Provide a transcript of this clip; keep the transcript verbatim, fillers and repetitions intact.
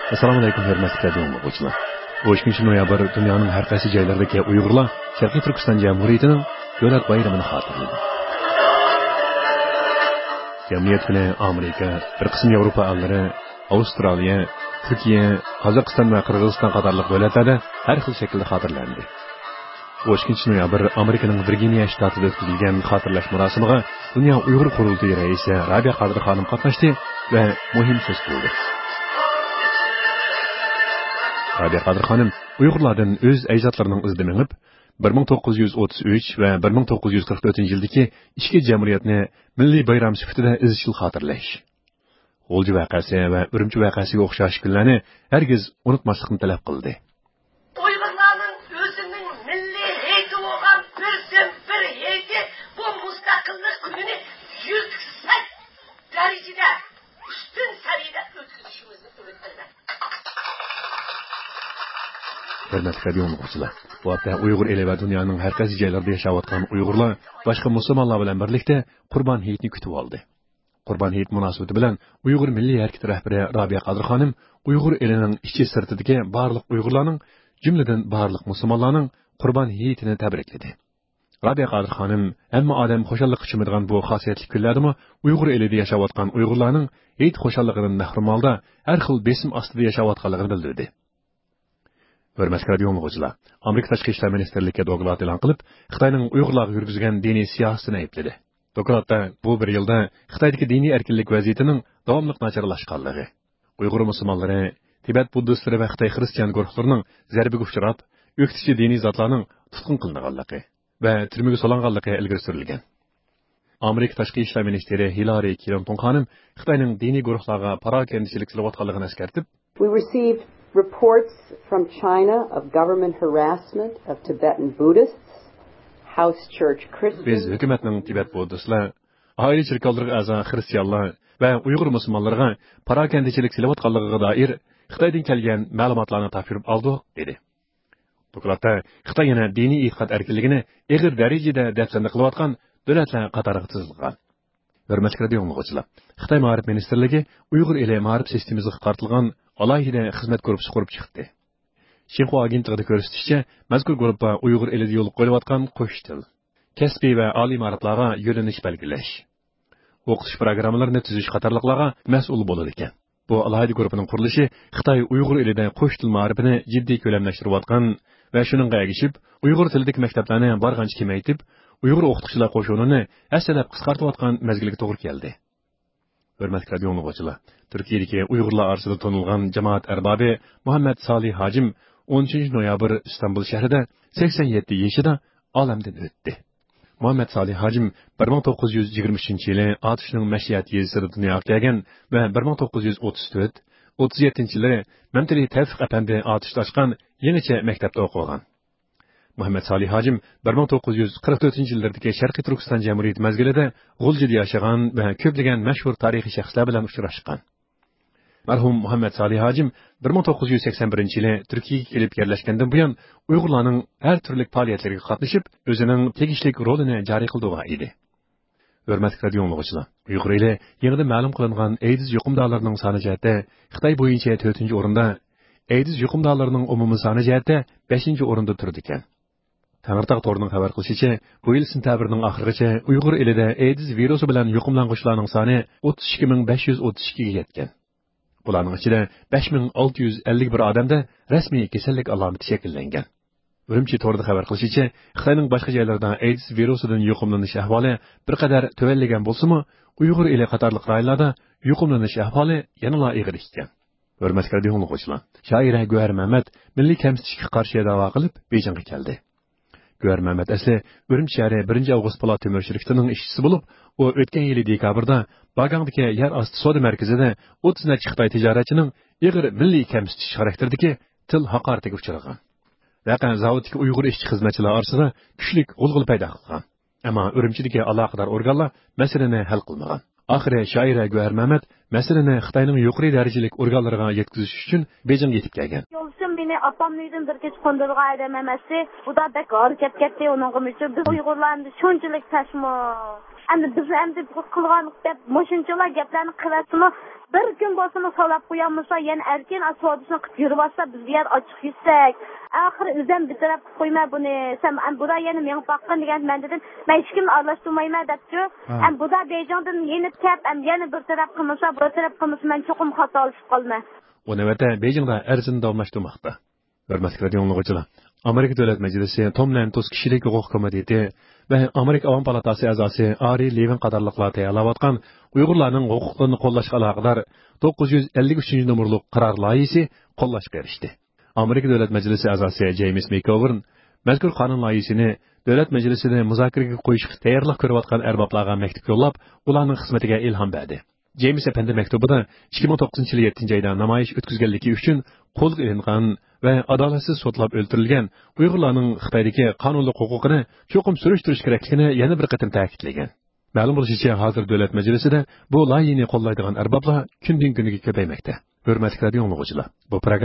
ئەسسالامۇ ئەلەيكۇم، ھۆرمەتلىك رادىئو ئاڭلىغۇچىلار. ئون ئىككىنچى نويابىر دۇنيانىڭ ھەر قايسى جايلىرىدىكى ئۇيغۇرلار شەرقىي تۈركىستان جەمھۇرىيىتىنىڭ دۆلەت بايرىمىنى خاتىرىلىدى. جەمئىيەت كۈنى ئامېرىكا، بىر قىسىم ياۋروپا ئەللىرى، ئاۋسترالىيە، تۈركىيە، قازاقىستان ۋە قىرغىزىستان قاتارلىق دۆلەتلەردە ھەر خىل شەكىلدە خاتىرىلەندى. ئون ئىككىنچى نويابىر ئامېرىكىنىڭ ۋىرگىنىيە شتاتىدا ئۆتكۈزۈلگەن خاتىرىلەش مۇراسىمىغا دۇنيا ئۇيغۇر قۇرۇلتىيى رەئىسى رابىيە قادىر خانىم قاتناشتى ۋە مۇھىم سۆز قىلدى. رابىيە قادىر خانىم ئۇيغۇرلاردىن ئۆز ئەجدادلىرىنىڭ ئىزىدا مېڭىپ، بىر مىڭ توققۇز يۈز ئوتتۇز ئۈچ ۋە بىر مىڭ توققۇز يۈز قىرىق تۆتىنچى يىلدىكى ئىككى جەمھۇرىيەتنى مىللىي بايرام سۈپىتىدە ئىزچىل خاتىرىلەش، غۇلجا ۋەقەسى ۋە ئۈرۈمچى ۋەقەسىگە ئوخشاش كۈنلەرنى ھەرگىز ئۇنتۇماسلىقنى تەلەپ قىلدى. ئۇيغۇرلارنىڭ ئۆزىنىڭ مىللىي ھېيتى بولغان بىردىنبىر ھېيتى بۇ مۇستەقىللىق كۈنىنى يۈكسەك دەرىجىدە، ئۈستۈن سەۋىيەدە ئۆتكۈزۈشىمىزنى ئۈمىد قىلىمەن. ھۆرمەتلىك رادىئو ئاڭلىغۇچىلار، بۇ ھەپتە ئۇيغۇر ئېلى ۋە دۇنيانىڭ ھەر قايسى جايلىرىدا ياشاۋاتقان ئۇيغۇرلار باشقا مۇسۇلمانلار بىلەن بىرلىكتە قۇربان ھېيتنى كۈتۈۋالدى. قۇربان ھېيت مۇناسىۋىتى بىلەن ئۇيغۇر مىللىي ھەرىكىتى رەھبىرى رابىيە قادىر خانىم ئۇيغۇر ئېلىنىڭ ئىچى سىرتىدىكى بارلىق ئۇيغۇرلارنىڭ، جۈملىدىن بارلىق مۇسۇلمانلارنىڭ قۇربان ھېيتىنى تەبرىكلىدى. رابىيە قادىر خانىم ھەممە ئادەم خۇشاللىققا چۆمىدىغان بۇ خاسىيەتلىك كۈنلەردىمۇ ئۇيغۇر ئېلىدە ياشاۋاتقان ئۇيغۇرلارنىڭ ھېيت خۇشاللىقىدىن مەھرۇم ھالدا ھەر خىل بېسىم ئاستىدا ياشاۋاتقانلىقىنى بىلدۈردى. ھۆرمەتلىك رادىئو ئاڭلىغۇچىلار، ئامېرىكا تاشقى ئىشلار مىنىستىرلىكى دوكلات ئېلان قىلىپ، خىتاينىڭ ئۇيغۇرلارغا يۈرگۈزگەن دىنىي سىياسىتىنى ئەيىبلىدى. دوكلاتتا بۇ بىر يىلدا خىتايدىكى دىنىي ئەركىنلىك ۋەزىيىتىنىڭ داۋاملىق ناچارلاشقانلىقى، ئۇيغۇر مۇسۇلمانلىرى، تىبەت بۇددىستلىرى ۋە خىتاي خىرىستىيان گۇرۇھلىرىنىڭ زەربىگە ئۇچراپ، ئۆكتىچى دىنىي زاتلارنىڭ تۇتقۇن قىلىنغانلىقى ۋە تۈرمىگە سولانغانلىقى ئىلگىرى سۈرۈلگەن. ئامېرىكا تاشقى ئىشلار مىنىستىرى ھىلارى كلىنتون خانىم خىتاينىڭ دىنىي گۇرۇھلارغا پاراكەندىچىلىك سېلىۋاتقانلىقىنى ئەسكەرتىپ، We received reports from China of government harassment of Tibetan Buddhists, house church بىز Christians. ھۆكۈمەتنىڭ تىبەت بۇددىستلار، ئائىلە چېركاۋلىرىغا ئەزا خىرىستىيانلار ۋە ئۇيغۇر مۇسۇلمانلىرىغا پاراكەندىچىلىك سېلىۋاتقانلىقىغا دائىر خىتايدىن كەلگەن مەلۇماتلارنى تاپشۇرۇپ ئالدۇق، دېدى. دوكلاتتا خىتاي يەنە دىنىي ئېتىقاد ئەركىنلىكىنى ئېغىر دەرىجىدە دەپسەندە قىلىۋاتقان دۆلەتلەر قاتارىغا تىزىلغان. ھۆرمەتلىك رادىئو ئاڭلىغۇچىلار، خىتاي مائارىپ مىنىستىرلىكى ئۇيغۇر ئېلى مائارىپ سىستېمىسىغا قارىتىلغان ئالاھىدە خىزمەت گۇرۇپپىسى قۇرۇپ چىقتى. شىنخۇا ئاگېنتلىقىدا كۆرسىتىشىچە، مەزكۇر گۇرۇپپا ئۇيغۇر ئېلىدە يولغا قويۇلۇۋاتقان قوش تىل، كەسپىي ۋە ئالىي مائارىپلارغا يۆنىلىش بەلگىلەش، ئوقۇتۇش پىروگراممىلىرىنى تۈزۈش قاتارلىقلارغا مەسئۇل بولىدىكەن. بۇ ئالاھىدە گۇرۇپپىنىڭ قۇرۇلۇشى خىتاي ئۇيغۇر ئېلىدە قوش تىل مائارىپىنى جىددىي كۆلەملەشتۈرۈۋاتقان ۋە شۇنىڭغا ئەگىشىپ، ئۇيغۇر تىلىدىكى مەكتەپلەرنى بارغانچە كېمەيتىپ، ئۇيغۇر ئوقۇتقۇچىلار قوشۇنىنى ھەسسىلەپ قىسقارتىۋاتقان مەزگىلگە توغرا كەلدى. ھۆرمەتلىك رادىئو ئاڭلىغۇچىلار، تۈركىيەدىكى ئۇيغۇرلار ئارىسىدا تونۇلغان جامائەت ئەربابى مۇھەممەد سالىھ ھاجىم ئون ئۈچىنچى نويابىر ئىستانبۇل شەھىرىدە سەكسەن يەتتە يېشىدا ئالەمدىن ئۆتتى. مۇھەممەد سالىھ ھاجىم بىر مىڭ توققۇز يۈز يىگىرمە ئۈچىنچى يىلى ئاتۇشنىڭ مەشىئەت يېزىسىدا دۇنياغا كەلگەن ۋە بىر مىڭ توققۇز يۈز ئوتتۇز تۆت، ئوتتۇز يەتتىنچى يىلى مەمتىلى تەۋپىق ئەپەندى ئاتۇشتا ئاچقان يېڭىچە مەكتەپتە ئوقۇغان. مۇھەممەد سالىھ ھاجىم بىر مىڭ توققۇز يۈز قىرىق تۆتىنچى يىللىرىدىكى شەرقىي تۈركىستان جەمھۇرىيىتى مەزگىلىدە غۇلجىدا ياشىغان ۋە كۆپلىگەن مەشھۇر تارىخىي شەخسلەر بىلەن ئۇچراشقان. مەرھۇم مۇھەممەد سالىھ ھاجىم بىر مىڭ توققۇز يۈز سەكسەن بىرىنچى يىلى تۈركىيەگە كېلىپ يەرلەشكەندىن بۇيان، ئۇيغۇرلارنىڭ ھەر تۈرلۈك پائالىيەتلىرىگە قاتنىشىپ، ئۆزىنىڭ تېگىشلىك رولىنى جارى قىلدۇرغان ئىدى. ھۆرمەتلىك رادىئو ئاڭلىغۇچىلار، ئۇيغۇر ئېلى يېڭىدىن مەلۇم قىلىنغان ئەيدىز يۇقۇمدارلىرىنىڭ سانى جەھەتتە خىتاي بويىچە تۆتىنچى ئورۇندا، ئەيدىز يۇقۇمدارلىرىنىڭ ئومۇمىي سانى جەھەتتە بەشىنچى ئورۇندا تۇرىدىكەن. تەڭرىتاغ تورىنىڭ خەۋەر قىلىشىچە، بۇ يىل سېنتەبىرنىڭ ئاخىرىغىچە ئۇيغۇر ئېلىدە ئەيدىز ۋىرۇسى بىلەن يۇقۇملانغۇچىلارنىڭ سانى ئوتتۇز ئىككى مىڭ بەش يۈز ئوتتۇز ئىككىگە يەتكەن. بۇلارنىڭ ئىچىدە بەش مىڭ ئالتە يۈز ئەللىك بىر ئادەمدە رەسمىي كېسەللىك ئالامىتى شەكىللەنگەن. ئۈرۈمچى تورىدا خەۋەر قىلىشىچە، خىتاينىڭ باشقا جايلىرىدا ئەيدىز ۋىرۇسىدىن يۇقۇملىنىش ئەھۋالى بىر قەدەر تۆۋەنلىگەن بولسىمۇ، ئۇيغۇر ئېلى قاتارلىق رايونلاردا يۇقۇملىنىش ئەھۋالى يەنىلا ئېغىر ئىكەن. ھۆرمەتلىك رادىئو ئاڭلىغۇچىلار، شائىرە گۆھەر مەمەت مىللىي كەمسىتىشكە قارشى داۋا قىلىپ بېيجىڭغا كەلدى. گۆھەر مەمەت ئەسلى ئۈرۈمچى شەھىرى بىرىنچى ئاۋغۇست پولات تۆمۈر شىركىتىنىڭ ئىشچىسى بولۇپ، ئۇ ئۆتكەن يىلى دېكابىردا باگاڭدىكى يەر ئاستى سودا مەركىزىدە ئوتتۇز نەچچە خىتاي تىجارەتچىنىڭ ئېغىر مىللىي كەمسىتىش خاراكتېرىدىكى تىل ھاقارىتىگە ئۇچرىغان. ۋەقە زاۋۇتتىكى ئۇيغۇر ئىشچى-خىزمەتچىلەر ئارىسىدا كۈچلۈك غۇلغۇلا پەيدا قىلغان. ئەمما ئۈرۈمچىدىكى ئالاقىدار ئورگانلار مەسىلىنى ھەل قىلمىغان. ئاخىرى شائىرە گۆھەر مەمەت مەسىلىنى خىتاينىڭ يۇقىرى دەرىجىلىك ئورگانلىرىغا يەتكۈزۈش ئۈچۈن بېيجىڭغا يېتىپ كەلگەن. يولدىشىم مېنى ئاپامنىڭ ئۆيىدىن بىر كېچە قوندۇرغان ئادەم ئەمەستى. ئۇدا بەك ھارا كەپ كەتتى ئۇنىڭغىمۇ شۇ. بىز ئۇيغۇرلار ئەمدى شۇنچىلىك پەشمۇ. ئەمدى بىز ئەمدى بۇ قىلغان دەپ مۇشۇنچىلا گەپلەرنى قىلىۋەتسىمۇ، بىر كۈن بولسىمۇ سولاپ قويالمىسا، يەنە ئەركىن سودىسىنى قىلىپ يۈرۈۋاتسا، بىز بۇ يەر ئاچچىق يېسەك، ئاخىرى ئۆزۈم بىر تەرەپ قىلىپ قويىمەن بۇنى، سەن ئەم بۇدا يەنە مېڭىپ باققىن دېگەن، مەن دېدىم، مەن ھېچكىمنى ئارىلاشتۇرمايمەن دەپچۇ. ھە. ئەم بۇدا بېيجىڭدىن يېنىپ كەپ، ئەم يەنە بىر تەرەپ قىلمىسا، بۇ تەرەپ قىلمىسا، مەن چوقۇم خاتالىشىپ قالىمەن. ئۇ نۆۋەتتە بېيجىڭدا ئەرزىنى داۋاملاشتۇرماقتا. ھۆرمەتلىك رادىئو ئاڭلىغۇچىلار، ئامېرىكا دۆلەت مەجلىسى توم لەنتوس كىشىلىك ھوقۇق كومىتېتى ۋە ئامېرىكا ئاۋام پالاتاسى ئەزاسى ئارى لېۋىن قاتارلىقلار تەييارلاۋاتقان ئۇيغۇرلارنىڭ ھوقۇقلىرىنى قوللاشقا ئالاقىدار توققۇز يۈز ئەللىك ئۈچىنچى نومۇرلۇق قارار لايىھىسى قوللاشقا ئېرىشتى. ئامېرىكا دۆلەت مەجلىسى ئەزاسى جېيمىس مېكگوۋېرن مەزكۇر قانۇن لايىھىسىنى دۆلەت مەجلىسىدە مۇزاكىرىگە قويۇشقا تەييارلىق كۆرۈۋاتقان ئەربابلارغا مەكتۇپ يوللاپ، ئۇلارنىڭ خىزمىتىگە ئىلھام بەردى. جېيمىس ئەپەندى مەكتۇبىدا ئىككى مىڭ توققۇزىنچى يىلى يەتتىنچى ئايدا نامايىش ئۆتكۈزگەنلىكى ئۈچۈن قولغا ئېلىنغان ۋە ئادالەتسىز سوتلاپ ئۆلتۈرۈلگەن ئۇيغۇرلارنىڭ خىتايدىكى قانۇنلۇق ھوقۇقىنى چوقۇم سۈرۈشتۈرۈش كېرەكلىكىنى يەنە بىر قېتىم تەكىتلىگەن. مەلۇم بولۇشىچە، ھازىر دۆلەت مەجلىسىدە بۇ لايىھىنى قوللايدىغان ئەربابلار كۈندىن-كۈنگە كۆپەيمەكتە. ھۆرمەتلىك رادىئو ئاڭلىغۇچىلار، بۇ پروگرامما